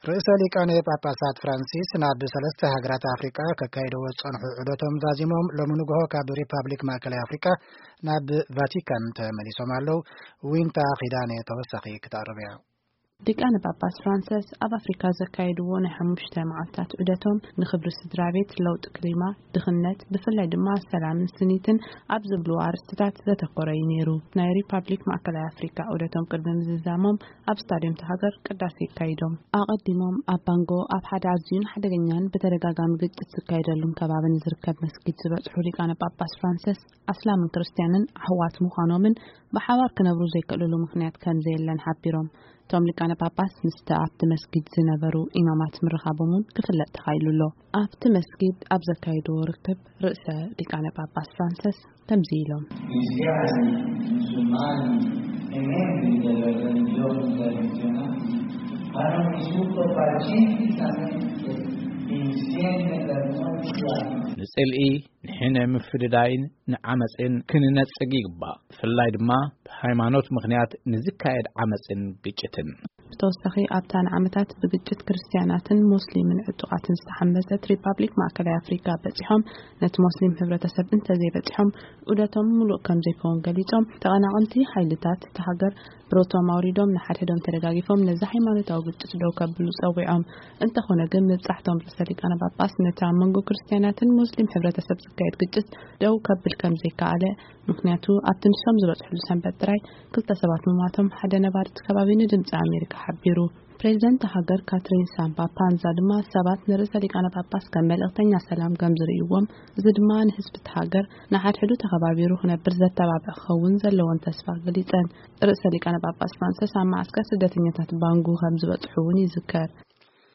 ርእሰ ሊቃነ ጳጳሳት ፍራንሲስ ናብ ሰለስተ ሃገራት ኣፍሪቃ ከካይደዎ ዝጸንሑ ዑደቶም ዛዚሞም፣ ሎሚ ንግሆ ካብ ሪፓብሊክ ማእከላይ ኣፍሪቃ ናብ ቫቲካን ተመሊሶም ኣለዉ። ዊንታ ኺዳነ ተወሳኺ ክተቕርብ እያ። ሊቃነ ጳጳስ ፍራንሲስ ኣብ ኣፍሪካ ዘካየድዎ ናይ ሓሙሽተ መዓልታት ዑደቶም ንኽብሪ ስድራ ቤት፣ ለውጢ ክሊማ፣ ድኽነት፣ ብፍላይ ድማ ሰላምን ስኒትን ኣብ ዝብሉ ኣርእስትታት ዘተኮረ እዩ ነይሩ። ናይ ሪፓብሊክ ማእከላይ ኣፍሪካ ዑደቶም ቅድሚ ምዝዛሞም ኣብ ስታድዮም ተሃገር ቅዳሴ ኣካይዶም። ኣቐዲሞም ኣብ ባንጎ ኣብ ሓደ ኣዝዩን ሓደገኛን ብተደጋጋሚ ግጭት ዝካየደሉን ከባቢ ንዝርከብ መስጊድ ዝበጽሑ ሊቃነ ጳጳስ ፍራንሲስ ኣስላምን ክርስትያንን ኣሕዋት ምዃኖምን ብሓባር ክነብሩ ዘይክእልሉ ምኽንያት ከም ዘየለን ሓቢሮም። እቶም ሊቃነ ጳጳስ ምስቲ ኣብቲ መስጊድ ዝነበሩ ኢማማት ምርኻቦም እውን ክፍለጥ ተኻኢሉ ኣሎ። ኣብቲ መስጊድ ኣብ ዘካየድዎ ርክብ ርእሰ ሊቃነ ጳጳስ ፍራንሲስ ከምዚ ኢሎም። Cristiani, musulmani e membri delle religioni tradizionali hanno vissuto pacificamente insieme per molti anni. ንጽልኢ፣ ንሕነ ምፍድዳይን ንዓመጽን ክንነጽግ ይግባእ። ብፍላይ ድማ ብሃይማኖት ምኽንያት ንዝካየድ ዓመጽን ግጭትን። ብተወሳኺ ኣብታ ንዓመታት ብግጭት ክርስትያናትን ሙስሊምን ዕጡቓትን ዝተሓመሰት ሪፓብሊክ ማእከላይ ኣፍሪካ በጺሖም ነቲ ሙስሊም ሕብረተሰብ እንተዘይበጺሖም ዑደቶም ምሉእ ከም ዘይከውን ገሊጾም፣ ተቐናቐንቲ ሓይልታት እታ ሃገር ብረቶም ኣውሪዶም ንሓድሕዶም ተደጋጊፎም ነዚ ሃይማኖታዊ ግጭት ደው ከብሉ ጸዊዖም። እንተኾነ ግን ምብጻሕቶም ርእሰ ሊቃነ ጳጳስ ነቲ ኣብ መንጎ ክርስትያናትን ሙስሊም ሕብረተሰብ ዝካየድ ግጭት ደው ከብል ከም ዘይከኣለ፣ ምኽንያቱ ኣብቲ ንሶም ዝበጽሕሉ ሰንበት ጥራይ ክልተ ሰባት ምሟቶም ሓደ ነባሪ እቲ ከባቢ ንድምጺ ኣሜሪካ ሓቢሩ። ፕሬዚደንት ሃገር ካትሪን ሳምባ ፓንዛ ድማ ሰባት ንርእሰ ሊቃነ ጳጳስ ከም መልእኽተኛ ሰላም ከም ዝርእይዎም፣ እዚ ድማ ንህዝቢ እቲ ሃገር ንሓድሕዱ ተኸባቢሩ ክነብር ዘተባብዕ ክኸውን ዘለዎን ተስፋ ገሊጸን። ርእሰ ሊቃነ ጳጳስ ፍራንሲስ ኣብ መዓስከር ስደተኛታት ባንጉ ከም ዝበጽሑ እውን ይዝከር።